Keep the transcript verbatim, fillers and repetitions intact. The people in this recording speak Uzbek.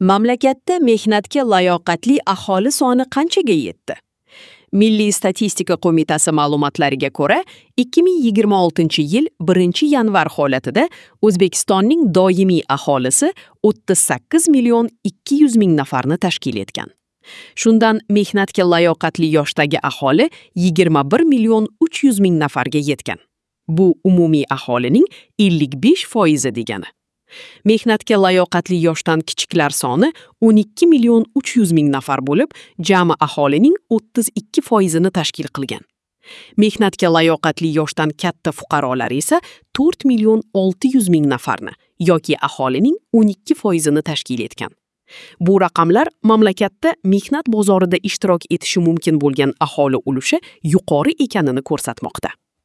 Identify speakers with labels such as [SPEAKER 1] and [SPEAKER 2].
[SPEAKER 1] Mamlakatda mehnatga layoqatli aholi soni qanchaga yetdi? Milliy statistika qo'mitasi ma'lumotlariga ko'ra, ikki ming yigirma oltinchi yil birinchi yanvar holatida O'zbekistonning doimiy aholisi o'ttiz sakkiz million ikki yuz ming nafarni tashkil etgan. Shundan mehnatga layoqatli yoshdagi aholi yigirma bir million uch yuz ming nafarga yetgan. Bu umumiy aholining ellik besh foizi degani. Mehnatga layoqatli yoshdan kichiklar soni o'n ikki million uch yuz ming nafar bo'lib, jami aholining o'ttiz ikki foizini tashkil qilgan. Mehnatga layoqatli yoshdan katta fuqarolar esa to'rt million olti yuz ming nafarni yoki aholining o'n ikki foizini tashkil etgan. Bu raqamlar mamlakatda mehnat bozorida ishtirok etishi mumkin bo'lgan aholi ulushi yuqori ekanini ko'rsatmoqda.